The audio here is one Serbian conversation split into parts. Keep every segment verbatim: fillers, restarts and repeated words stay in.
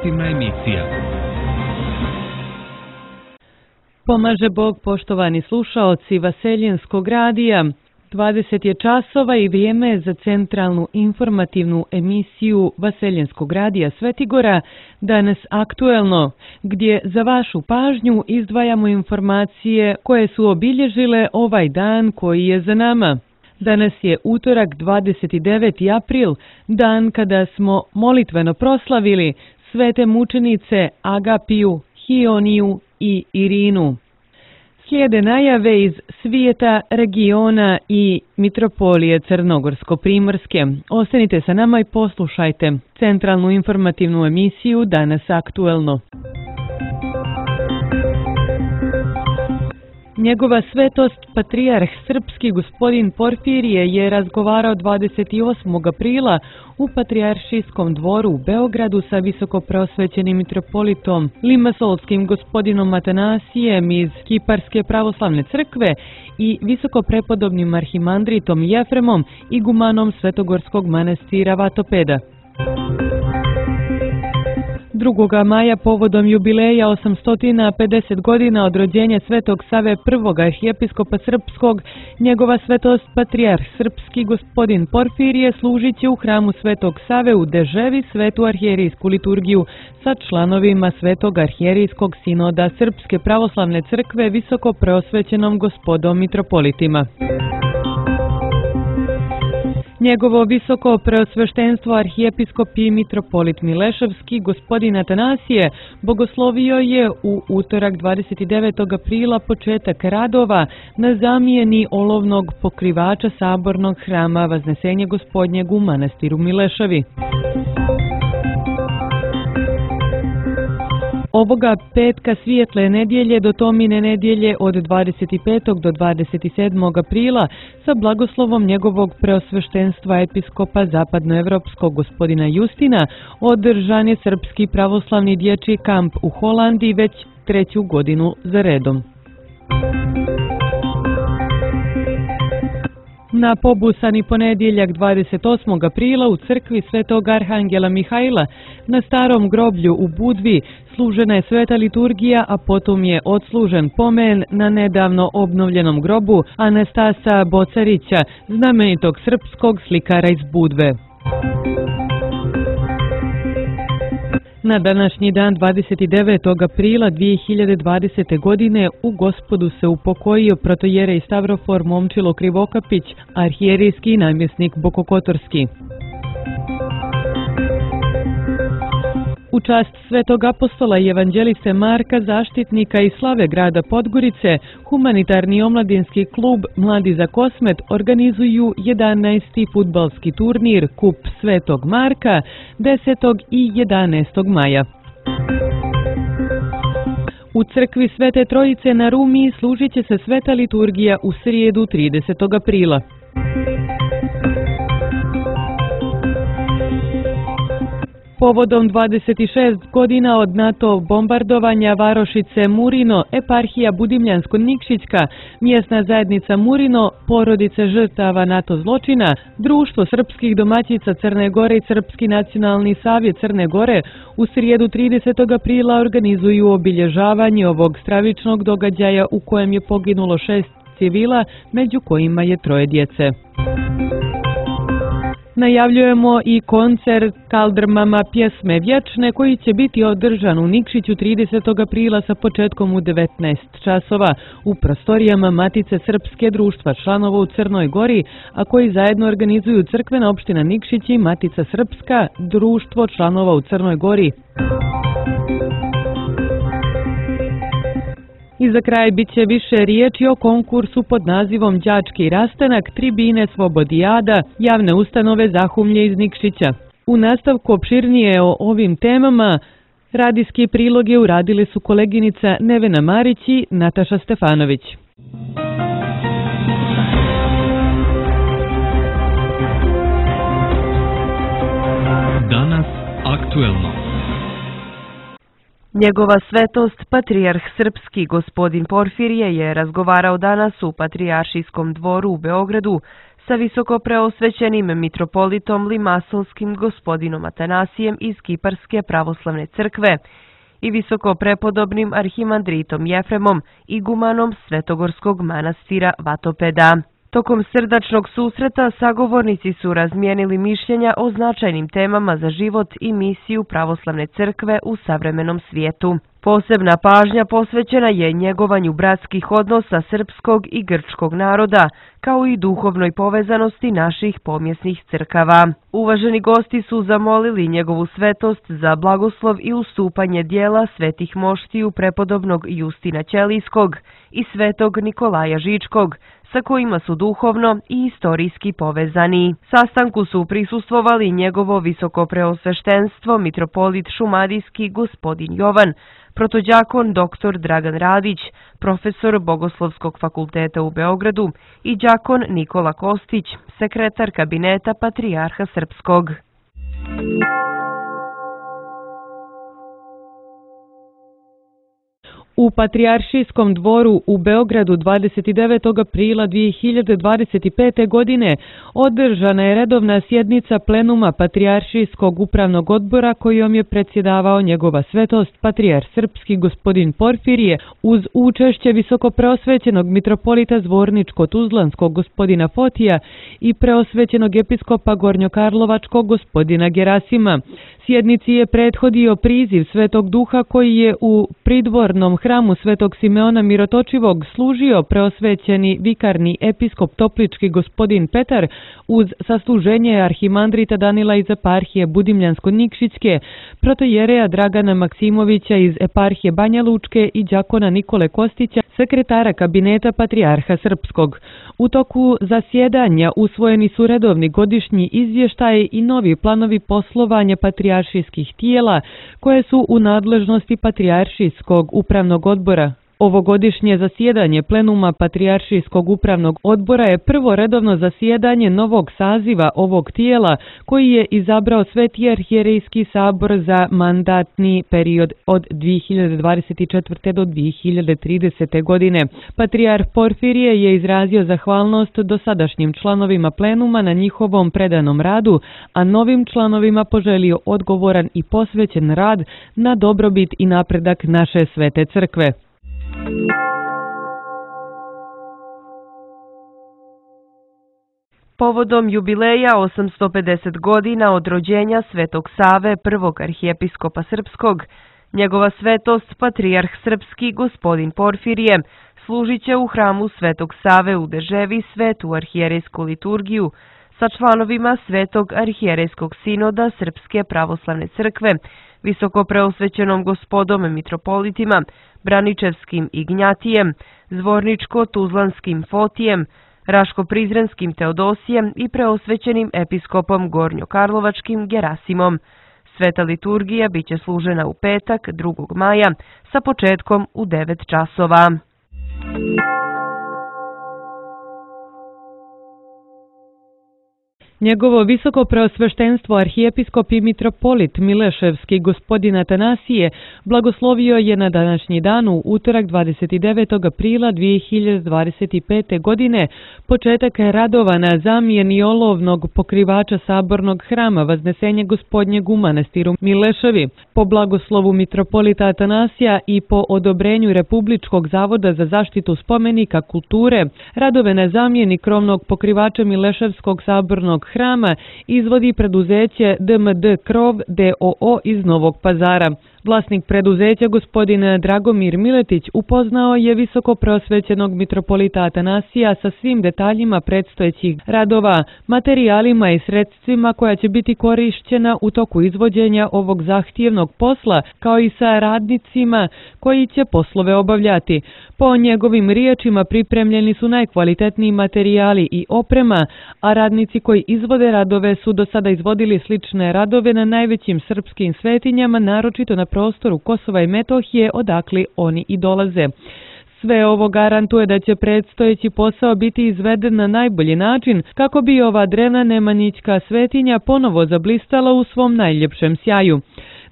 informativna emisija. Pomaže Bog, poštovani slušaoci Vaseljenskog radija. dvadeset je časova i vrijeme za centralnu informativnu emisiju Vaseljenskog radija Svetigora, danas aktuelno, gdje za vašu pažnju izdvajamo informacije koje su obilježile ovaj dan koji je za nama. Danas je utorak dvadeset deveti april, dan kada smo molitveno proslavili svete mučenice Agapiju, Hioniju i Irinu. Slijede najave iz svijeta, regiona i mitropolije Crnogorsko-primorske. Ostanite sa nama i poslušajte centralnu informativnu emisiju Danas aktuelno. Njegova svetost, patrijarh srpski gospodin Porfirije, je razgovarao dvadeset osmog aprila u Patrijaršijskom dvoru u Beogradu sa visokopreosvećenim mitropolitom Limasolskim gospodinom Atanasijem iz Kiparske pravoslavne crkve i visokoprepodobnim arhimandritom Jefremom, igumanom Svetogorskog manastira Vatopeda. drugog maja, povodom jubileja osamsto pedeset godina od rođenja Svetog Save prvog arhijepiskopa srpskog, njegova svetost patrijarh srpski gospodin Porfirije služit će u hramu Svetog Save u Deževi svetu arhijerijsku liturgiju sa članovima Svetog arhijerijskog sinoda Srpske pravoslavne crkve visoko preosvećenom gospodom mitropolitima. Njegovo visoko preosveštenstvo arhijepiskop i mitropolit Mileševski gospodin Atanasije bogoslovio je u utorak dvadeset devetog aprila početak radova na zamjeni olovnog pokrivača sabornog hrama Vaznesenje Gospodnjeg u manastiru Mileševi. Ovoga petka svijetle nedjelje do Tomine nedjelje od dvadeset petog do dvadeset sedmog aprila sa blagoslovom njegovog preosveštenstva episkopa zapadnoevropskog gospodina Justina održan je Srpski pravoslavni dječji kamp u Holandiji već treću godinu za redom. Na pobusani ponedjeljak dvadeset osmog aprila u crkvi Svetog Arhangela Mihajla na starom groblju u Budvi služena je sveta liturgija, a potom je odslužen pomen na nedavno obnovljenom grobu Anastasa Bocarića, znamenitog srpskog slikara iz Budve. Na današnji dan dvadeset devetog aprila dvije hiljade dvadesete. godine u Gospodu se upokojio protojerej Stavrofor Momčilo Krivokapić, arhijerijski namjesnik Bokokotorski. U čast Svetog apostola i evanđeliste Marka, zaštitnika i slave grada Podgorice, humanitarni omladinski klub Mladi za Kosmet organizuju jedanaesti fudbalski turnir Kup Svetog Marka desetog i jedanaestog maja. U crkvi Svete Trojice na Rumiji služit će se sveta liturgija u srijedu tridesetog aprila. Povodom dvadeset šest godina od NATO bombardovanja varošice Murino, eparhija Budimljansko-Nikšićka, mjesna zajednica Murino, porodice žrtava NATO zločina, Društvo srpskih domaćica Crne Gore i Srpski nacionalni savjet Crne Gore u srijedu tridesetog aprila organizuju obilježavanje ovog stravičnog događaja u kojem je poginulo šest civila, među kojima je troje djece. Najavljujemo i koncert Kaldrmama pjesme vječne koji će biti održan u Nikšiću tridesetog aprila sa početkom u devetnaest časova u prostorijama Matice Srpske društva članova u Crnoj Gori, a koji zajedno organizuju Crkvena opština Nikšić i Matica Srpska društvo članova u Crnoj Gori. I za kraj bit će više riječi o konkursu pod nazivom Đački rastanak, tribine Svobodijada, javne ustanove Zahumlje iz Nikšića. U nastavku opširnije o ovim temama radijski priloge uradile su koleginica Nevena Marić i Nataša Stefanović. Danas aktuelno. Njegova svetost, patrijarh srpski gospodin Porfirije, je razgovarao danas u Patrijaršijskom dvoru u Beogradu sa visokopreosvećenim mitropolitom Limasovskim gospodinom Atanasijem iz Kiparske pravoslavne crkve i visokoprepodobnim arhimandritom Jefremom, igumanom Svetogorskog manastira Vatopeda. Tokom srdačnog susreta sagovornici su razmijenili mišljenja o značajnim temama za život i misiju pravoslavne crkve u savremenom svijetu. Posebna pažnja posvećena je njegovanju bratskih odnosa srpskog i grčkog naroda, kao i duhovnoj povezanosti naših pomjesnih crkava. Uvaženi gosti su zamolili njegovu svetost za blagoslov i ustupanje dijela svetih moštiju prepodobnog Justina Ćelijskog i svetog Nikolaja Žičkog, sa kojima su duhovno i istorijski povezani. Sastanku su prisustvovali njegovo visokopreosveštenstvo mitropolit šumadijski gospodin Jovan, protođakon doktor Dragan Radić, profesor Bogoslovskog fakulteta u Beogradu i đakon Nikola Kostić, sekretar kabineta Patrijarha Srpskog. U Patrijaršijskom dvoru u Beogradu dvadeset devetog aprila dvije hiljade dvadeset pete. godine održana je redovna sjednica plenuma Patrijaršijskog upravnog odbora kojom je predsjedavao njegova svetost Patrijarh Srpski gospodin Porfirije uz učešće visokopreosvećenog mitropolita Zvorničko-Tuzlanskog gospodina Fotija i preosvećenog episkopa Gornjokarlovačkog gospodina Gerasima. Sjednici je prethodio priziv Svetog Duha koji je u pridvornom hramu Svetog Simeona Mirotočivog služio preosvećeni vikarni episkop Toplički gospodin Petar uz sasluženje arhimandrita Danila iz eparhije Budimljansko-Nikšićke, protojereja Dragana Maksimovića iz eparhije Banja Lučke i đakona Nikole Kostića, sekretara kabineta Patrijarha Srpskog. U toku zasjedanja usvojeni su redovni godišnji izvještaji i novi planovi poslovanja patrijaršijskih tijela koje su u nadležnosti Patrijaršijskog upravnog odbora. Ovogodišnje zasjedanje plenuma Patrijaršijskog upravnog odbora je prvo redovno zasjedanje novog saziva ovog tijela koji je izabrao Sveti arhijerejski sabor za mandatni period od dvije hiljade dvadeset četvrte. do dvije hiljade tridesete. godine. Patrijarh Porfirije je izrazio zahvalnost dosadašnjim članovima plenuma na njihovom predanom radu, a novim članovima poželio odgovoran i posvećen rad na dobrobit i napredak naše svete crkve. Povodom jubileja osamsto pedeset godina od rođenja Svetog Save, prvog arhijepiskopa Srpskog, njegova svetost Patrijarh Srpski gospodin Porfirije služit će u hramu Svetog Save u Deževi svetu arhijerejsku liturgiju sa članovima Svetog arhijerejskog sinoda Srpske pravoslavne crkve, visokopreosvećenom gospodom mitropolitima, Braničevskim Ignjatijem, Zvorničko-Tuzlanskim Fotijem, Raško-Prizrenskim Teodosijem i preosvećenim episkopom Gornjokarlovačkim Gerasimom. Sveta liturgija biće služena u petak, drugog maja, sa početkom u devet časova. Njegovo visoko preosveštenstvo arhijepiskop i mitropolit Mileševski gospodin Atanasije blagoslovio je na današnji dan u utorak dvadeset devetog aprila dvije hiljade dvadeset pete. godine početak radova na zamjeni olovnog pokrivača sabornog hrama Vaznesenje gospodnjeg u manastiru Mileševi. Po blagoslovu mitropolita Atanasija i po odobrenju Republičkog zavoda za zaštitu spomenika kulture, radove na zamjeni krovnog pokrivača Mileševskog sabornog hrama izvodi preduzeće D M D Krov d o o iz Novog Pazara. Vlasnik preduzeća, gospodin Dragomir Miletić, upoznao je visoko preosvećenog mitropolita Atanasija sa svim detaljima predstojećih radova, materijalima i sredstvima koja će biti korišćena u toku izvođenja ovog zahtjevnog posla, kao i sa radnicima koji će poslove obavljati. Po njegovim riječima pripremljeni su najkvalitetniji materijali i oprema, a radnici koji izvode radove su do sada izvodili slične radove na najvećim srpskim svetinjama, naročito na prostoru Kosova i Metohije, odakle oni i dolaze. Sve ovo garantuje da će predstojeći posao biti izveden na najbolji način kako bi ova drevna nemanjićka svetinja ponovo zablistala u svom najljepšem sjaju.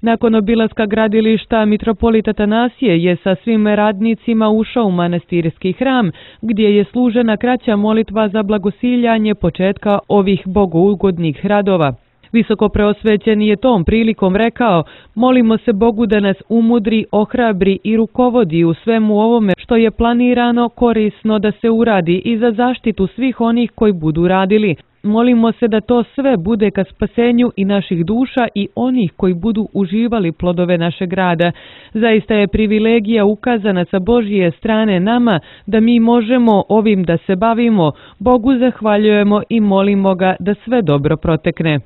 Nakon obilaska gradilišta, mitropolit Atanasije je sa svim radnicima ušao u manastirski hram, gdje je služena kraća molitva za blagosiljanje početka ovih bogougodnih radova. Visoko preosvećeni je tom prilikom rekao: molimo se Bogu da nas umudri, ohrabri i rukovodi u svemu ovome što je planirano, korisno da se uradi i za zaštitu svih onih koji budu radili. Molimo se da to sve bude ka spasenju i naših duša i onih koji budu uživali plodove našeg rada. Zaista je privilegija ukazana sa Božje strane nama da mi možemo ovim da se bavimo. Bogu zahvaljujemo i molimo ga da sve dobro protekne.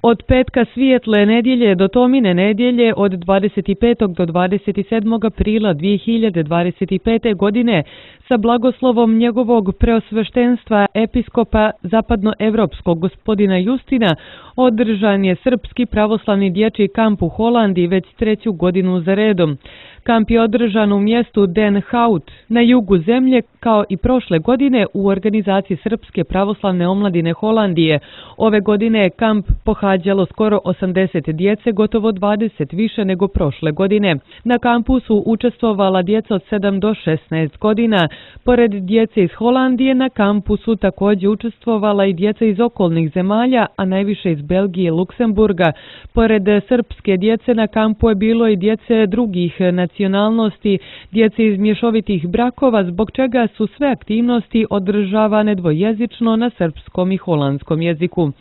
Od petka svijetle nedjelje do Tomine nedjelje od dvadeset petog do dvadeset sedmog aprila dvije hiljade dvadeset pete. godine sa blagoslovom njegovog preosveštenstva episkopa zapadnoevropskog gospodina Justina održan je Srpski pravoslavni dječji kamp u Holandiji već treću godinu za redom. Kamp je održan u mjestu Den Hout na jugu zemlje kao i prošle godine u organizaciji Srpske pravoslavne omladine Holandije. Ove godine je kamp pohađalo skoro osamdeset djece, gotovo dvadeset više nego prošle godine. Na kampu su učestvovala djeca od sedam do šesnaest godina. Pored djece iz Holandije na kampu su također učestvovala i djeca iz okolnih zemalja, a najviše iz Belgije i Luksemburga. Pored srpske djece na kampu je bilo i djece drugih nacionalnosti, djece iz mješovitih brakova, zbog čega su sve aktivnosti održavane dvojezično na srpskom i holandskom jeziku.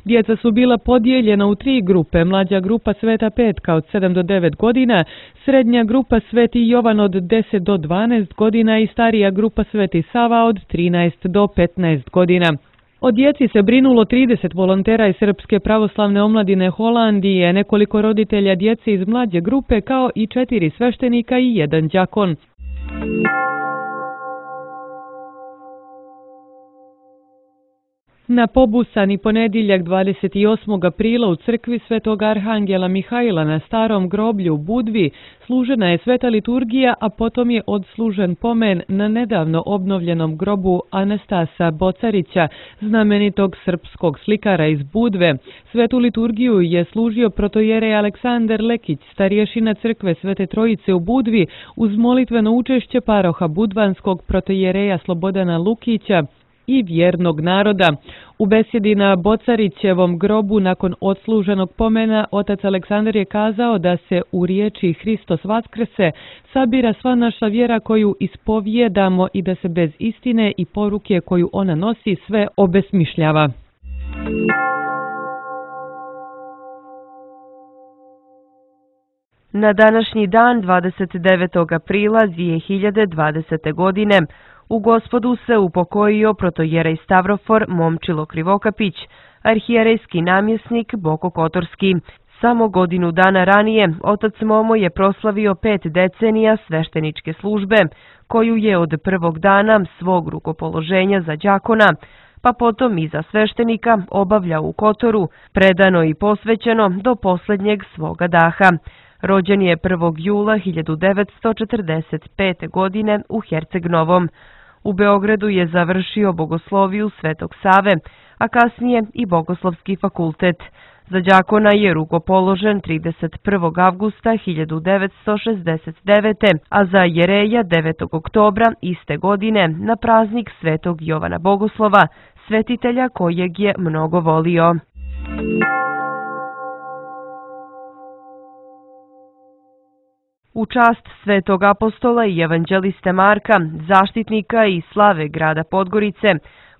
Djeca su bila podijeljena u tri grupe: mlađa grupa Sveta Petka od sedam do devet godina, srednja grupa Sveti Jovan od deset do dvanaest godina i starija grupa Sveti Sava od trinaest do petnaest godina. O djeci se brinulo trideset volontera iz Srpske pravoslavne omladine Holandije, nekoliko roditelja djece iz mlađe grupe kao i četiri sveštenika i jedan đakon. Na pobusani ponedjeljak dvadeset osmog aprila u crkvi Svetog Arhangela Mihajla na Starom groblju u Budvi služena je sveta liturgija, a potom je odslužen pomen na nedavno obnovljenom grobu Anastasa Bocarića, znamenitog srpskog slikara iz Budve. Svetu liturgiju je služio protojerej Aleksandar Lekić, starješina crkve Svete Trojice u Budvi, uz molitveno učešće paroha budvanskog protojereja Slobodana Lukića i vjernog naroda. U besjedi na Bocarićevom grobu nakon odsluženog pomena otac Aleksandar je kazao da se u riječi Hristos vaskrse sabira sva naša vjera koju ispovjedamo i da se bez istine i poruke koju ona nosi sve obesmišljava. Na današnji dan, dvadeset devetog aprila dvije hiljade dvadesete. godine, u Gospodu se upokojio protojerej Stavrofor Momčilo Krivokapić, arhijerejski namjesnik Boko Kotorski. Samo godinu dana ranije otac Momo je proslavio pet decenija svešteničke službe, koju je od prvog dana svog rukopoloženja za đakona, pa potom i za sveštenika obavljao u Kotoru, predano i posvećeno do posljednjeg svoga daha. Rođen je prvog jula hiljadu devetsto četrdeset pete. godine u Herceg Novom. U Beogradu je završio bogosloviju Svetog Save, a kasnije i Bogoslovski fakultet. Za đakona je rukopoložen trideset prvog avgusta hiljadu devetsto šezdeset devete. a za jereja devetog oktobra iste godine na praznik Svetog Jovana Bogoslova, svetitelja kojeg je mnogo volio. U čast svetog apostola i evanđeliste Marka, zaštitnika i slave grada Podgorice,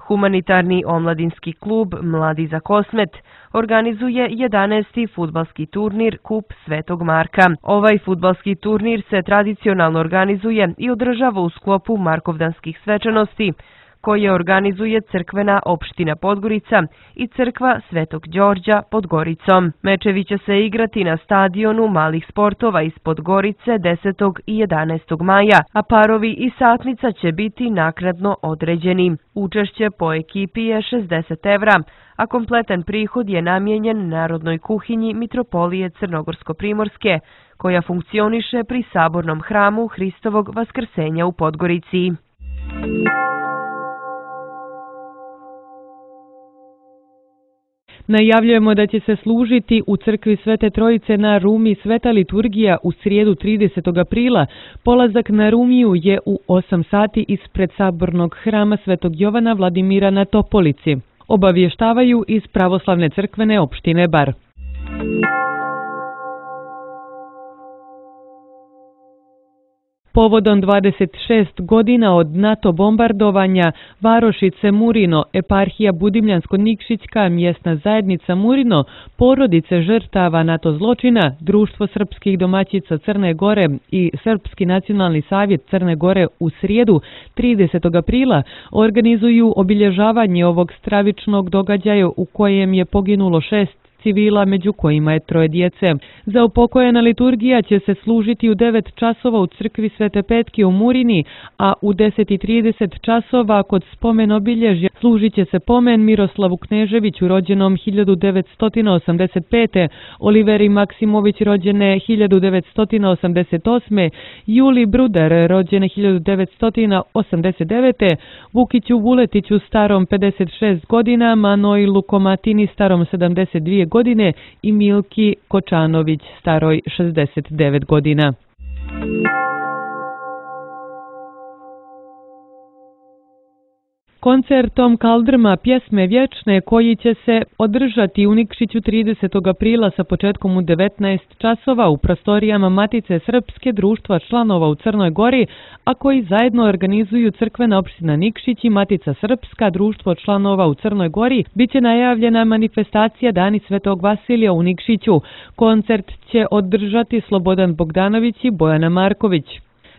humanitarni omladinski klub Mladi za Kosmet organizuje jedanaesti fudbalski turnir Kup Svetog Marka. Ovaj fudbalski turnir se tradicionalno organizuje i održava u sklopu Markovdanskih svečanosti, koje organizuje crkvena opština Podgorica i crkva Svetog Đorđa pod Goricom. Mečevi će se igrati na stadionu malih sportova iz Podgorice desetog i jedanaestog maja, a parovi i satnica će biti naknadno određeni. Učešće po ekipi je šezdeset evra, a kompletan prihod je namijenjen Narodnoj kuhinji Mitropolije Crnogorsko-Primorske, koja funkcioniše pri Sabornom hramu Hristovog Vaskrsenja u Podgorici. Najavljujemo da će se služiti u crkvi Svete Trojice na Rumi Sveta liturgija u srijedu tridesetog aprila. Polazak na Rumiju je u osam sati ispred sabornog hrama Svetog Jovana Vladimira na Topolici. Obavještavaju iz Pravoslavne crkvene opštine Bar. Povodom dvadeset šest godina od NATO bombardovanja varošice Murino, eparhija Budimljansko-Nikšićka, mjesna zajednica Murino, porodice žrtava NATO zločina, Društvo srpskih domaćica Crne Gore i Srpski nacionalni savjet Crne Gore u srijedu tridesetog aprila organizuju obilježavanje ovog stravičnog događaja u kojem je poginulo šest civila, među kojima je troje djece. Za upokojena liturgija će se služiti u devet časova u crkvi Svete Petke u Murini, a u deset i trideset časova kod spomen obilježja služit će se pomen Miroslavu Kneževiću, rođenom hiljadu devetsto osamdeset pete, Oliveri Maksimović, rođene hiljadu devetsto osamdeset osme, Juli Brudar, rođene hiljadu devetsto osamdeset devete, Vukiću Vuletiću, starom pedeset šest godina, Manojlu Komatini, starom sedamdeset dvije godine i Milki Kočanović, staroj šezdeset devet godina. Koncertom Kaldrma pjesme vječne koji će se održati u Nikšiću tridesetog aprila sa početkom u devetnaest časova u prostorijama Matice Srpske društva članova u Crnoj Gori, a koji zajedno organizuju crkvena opština Nikšić i Matica Srpska društvo članova u Crnoj Gori, bit će najavljena manifestacija Dani Svetog Vasilija u Nikšiću. Koncert će održati Slobodan Bogdanović i Bojana Marković.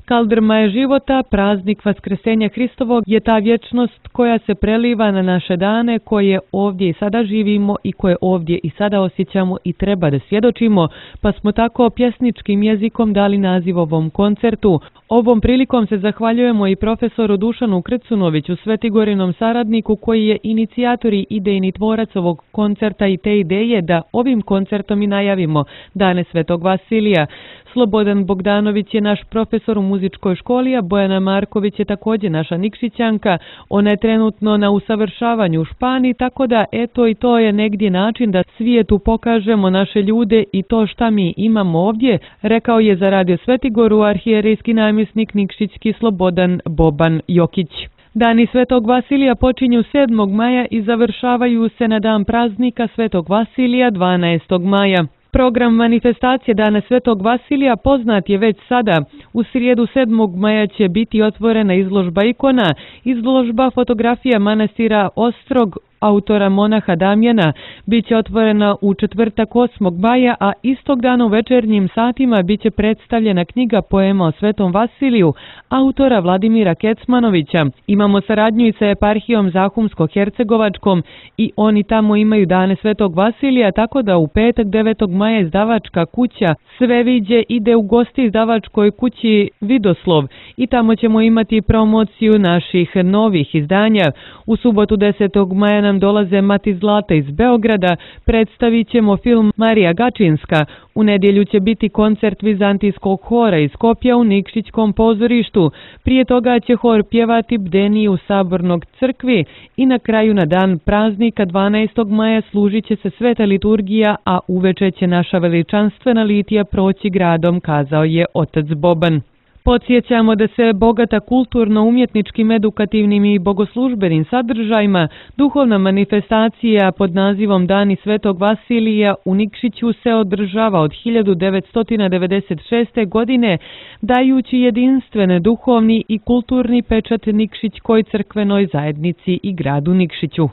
Kaldrma je života, praznik Vaskresenja Hristovog je ta vječnost koja se preliva na naše dane, koje ovdje i sada živimo i koje ovdje i sada osjećamo i treba da svjedočimo, pa smo tako pjesničkim jezikom dali naziv ovom koncertu. Ovom prilikom se zahvaljujemo i profesoru Dušanu Krcunoviću, Svetigorinom saradniku koji je inicijator i idejni tvorac ovog koncerta i te ideje da ovim koncertom i najavimo Dane Svetog Vasilija. Slobodan Bogdanović je naš profesor u muzičkoj školi, a Bojana Marković je također naša Nikšićanka. Ona je trenutno na usavršavanju u Španiji, tako da eto i to je negdje način da svijetu pokažemo naše ljude i to šta mi imamo ovdje, rekao je za Radio Svetigoru arhijerejski namjesnik Nikšićki Slobodan Boban Jokić. Dani Svetog Vasilija počinju sedmog maja i završavaju se na dan praznika Svetog Vasilija dvanaestog maja. Program manifestacije Dana Svetog Vasilija poznat je već sada. U srijedu sedmog maja će biti otvorena izložba ikona, izložba fotografija manastira Ostrog, autora monaha Damjana, bit će otvorena u četvrtak osmog maja, a istog dana u večernjim satima bit će predstavljena knjiga poema o Svetom Vasiliju, autora Vladimira Kecmanovića. Imamo saradnju i sa eparhijom Zahumsko-Hercegovačkom i oni tamo imaju Dane Svetog Vasilija, tako da u petak devetog maja izdavačka kuća Sveviđe ide u gosti izdavačkoj kući Vidoslov i tamo ćemo imati promociju naših novih izdanja. U subotu desetog maja nam dolaze Mati Zlata iz Beograda, predstavit ćemo film Marija Gačinska. U nedjelju će biti koncert Vizantijskog hora iz Skopja u Nikšićkom pozorištu. Prije toga će hor pjevati Bdeniju Sabornog crkvi i na kraju na dan praznika dvanaestog maja služit će se sveta liturgija, a uveče će naša veličanstvena litija proći gradom, kazao je otac Boban. Podsjećamo da se bogata kulturno-umjetničkim, edukativnim i bogoslužbenim sadržajima duhovna manifestacija pod nazivom Dani Svetog Vasilija u Nikšiću se održava od hiljadu devetsto devedeset šeste. godine, dajući jedinstvene duhovni i kulturni pečat Nikšićkoj crkvenoj zajednici i gradu Nikšiću.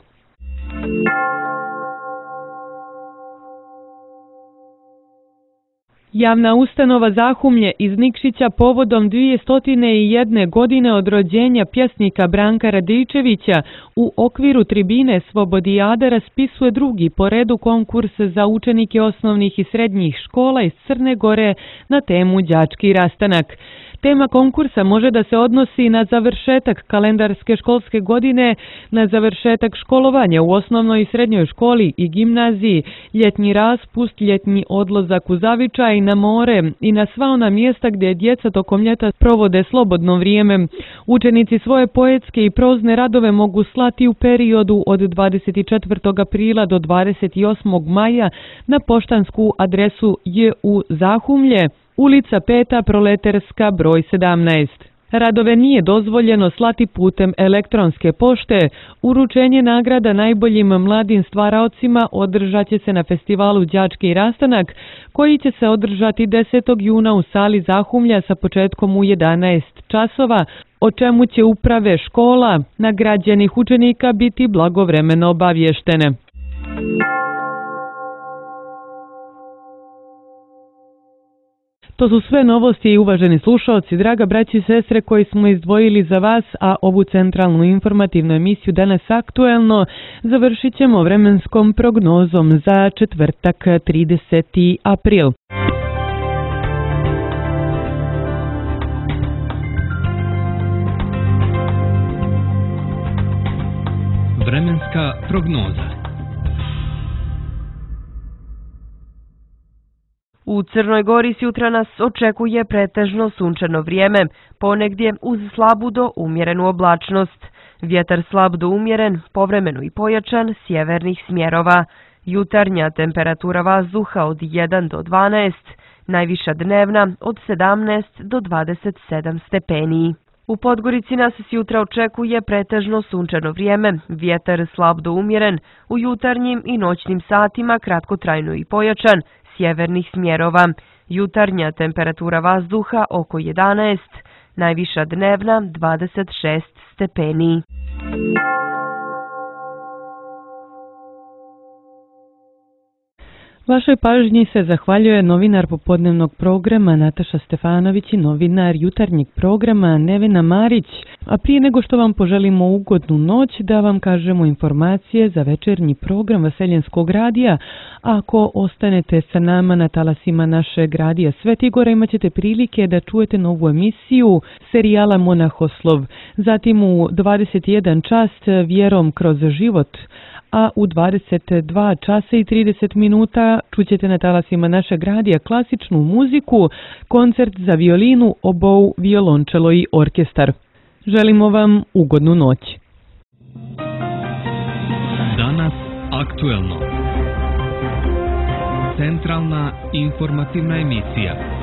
Javna ustanova Zahumlje iz Nikšića povodom dvjesto jedne godine od rođenja pjesnika Branka Radičevića u okviru tribine Svobodijada raspisuje drugi po redu konkurs za učenike osnovnih i srednjih škola iz Crne Gore na temu Đački rastanak. Tema konkursa može da se odnosi na završetak kalendarske školske godine, na završetak školovanja u osnovnoj i srednjoj školi i gimnaziji, ljetni raspust, ljetni odlazak u zavičaj, na more i na sva ona mjesta gdje djeca tokom ljeta provode slobodno vrijeme. Učenici svoje poetske i prozne radove mogu slati u periodu od dvadeset četvrtog aprila do dvadeset osmog maja na poštansku adresu J U Zahumlje, ulica peta Proleterska, broj sedamnaest. Radove nije dozvoljeno slati putem elektronske pošte. Uručenje nagrada najboljim mladim stvaraocima održat će se na festivalu Đački rastanak, koji će se održati desetog juna u sali Zahumlja sa početkom u jedanaest časova, o čemu će uprave škola nagrađenih učenika biti blagovremeno obavještene. To su sve novosti i uvaženi slušalci, draga braći i sestre koji smo izdvojili za vas, a ovu centralnu informativnu emisiju Danas aktuelno završit ćemo vremenskom prognozom za četvrtak trideseti april. Vremenska prognoza. U Crnoj Gori sutra nas očekuje pretežno sunčano vrijeme, ponegdje uz slabu do umjerenu oblačnost. Vjetar slab do umjeren, povremeno i pojačan, sjevernih smjerova. Jutarnja temperatura vazduha od jedan do dvanaest, najviša dnevna od sedamnaest do dvadeset sedam stepeni. U Podgorici nas sutra očekuje pretežno sunčano vrijeme, vjetar slab do umjeren, u jutarnjim i noćnim satima kratkotrajno i pojačan, sjevernih smjerova. Jutarnja temperatura vazduha oko jedanaest, najviša dnevna dvadeset šest stepeni. Vašoj pažnji se zahvaljuje novinar popodnevnog programa Nataša Stefanović i novinar jutarnjeg programa Nevena Marić. A prije nego što vam poželimo ugodnu noć, da vam kažemo informacije za večernji program Vaseljenskog radija. Ako ostanete sa nama na talasima našeg radija Svetigora, imat ćete prilike da čujete novu emisiju serijala Monahoslov. Zatim u dvadeset jedan čas Vjerom kroz život, a u dvadeset dva časa i trideset minuta čućete na talasima našeg radija klasičnu muziku, koncert za violinu, obou, violončelo i orkestar. Želimo vam ugodnu noć. Danas aktuelno. Centralna informativna emisija.